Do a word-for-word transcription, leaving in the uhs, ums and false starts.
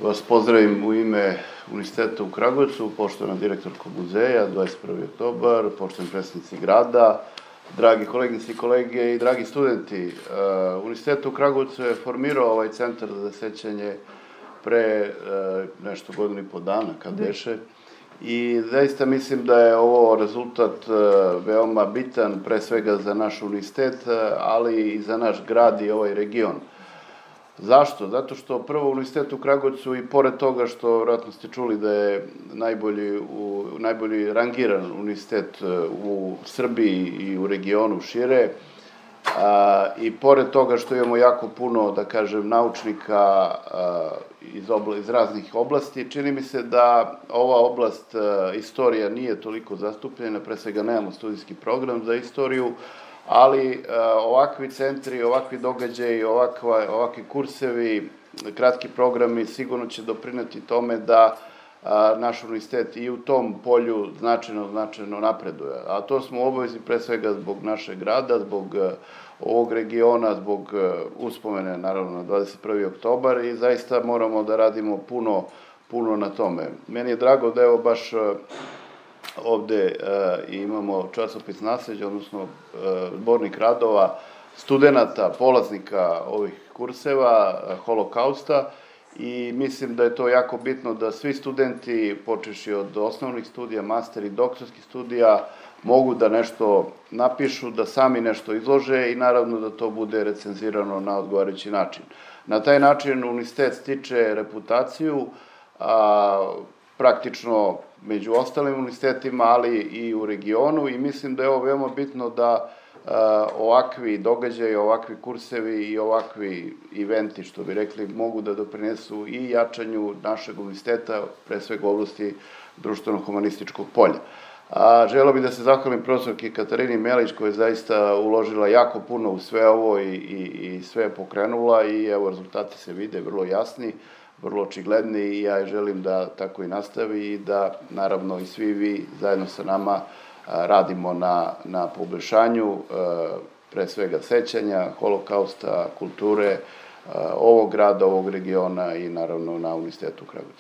vas pozdravim u ime Univerziteta u Kragujevcu, poštovana direktorko muzeja, dvadeset prvi oktobar, poštovani predstavnici grada, dragi koleginice i kolege i dragi studenti. Univerzitet u Kragujevcu je formirao ovaj centar za sećanje pre nešto godinu i po dana, kad beše. I zaista mislim da je ovo rezultat veoma bitan, pre svega za naš univerzitet, ali i za naš grad i ovaj region. Zašto? Zato što prvo Univerzitet u Kragujevcu i pored toga što vjerojatno ste čuli da je najbolji, u, najbolji rangiran univerzitet u Srbiji i u regionu šire, a, i pored toga što imamo jako puno, da kažem, naučnika a, iz, obla, iz raznih oblasti, čini mi se da ova oblast a, istorija nije toliko zastupljena, pre svega nemamo studijski program za istoriju, ali ovakvi centri, ovakvi događaji, ovakva, ovakvi kursevi, kratki programi sigurno će doprineti tome da a, naš univerzitet i u tom polju značajno, značajno napreduje. A to smo u obavezi pre svega zbog našeg grada, zbog a, ovog regiona, zbog a, uspomene, naravno, na dvadeset prvi oktobar i zaista moramo da radimo puno, puno na tome. Meni je drago da evo baš a, ovde uh, imamo časopis Nasleđe, odnosno uh, zbornik radova studenta, polaznika ovih kurseva, uh, holokausta, i mislim da je to jako bitno da svi studenti, počeši od osnovnih studija, master i doktorskih studija, mogu da nešto napišu, da sami nešto izlože i naravno da to bude recenzirano na odgovarajući način. Na taj način univerzitet stiče reputaciju, a, praktično među ostalim univerzitetima, ali i u regionu, i mislim da je ovo veoma bitno da a, ovakvi događaji, ovakvi kursevi i ovakvi eventi, što bi rekli, mogu da doprinesu i jačanju našeg univerziteta, pre svega u oblasti društveno-humanističkog polja. A, želeo bih da se zahvalim profesorki Katarini Melić, koja je zaista uložila jako puno u sve ovo i, i, i sve je pokrenula, i evo, rezultati se vide vrlo jasni, vrlo očigledni, i ja želim da tako i nastavi i da, naravno, i svi vi zajedno sa nama radimo na, na poboljšanju, pre svega sećanja, holokausta, kulture ovog grada, ovog regiona i, naravno, na Univerzitetu u Kragujevcu.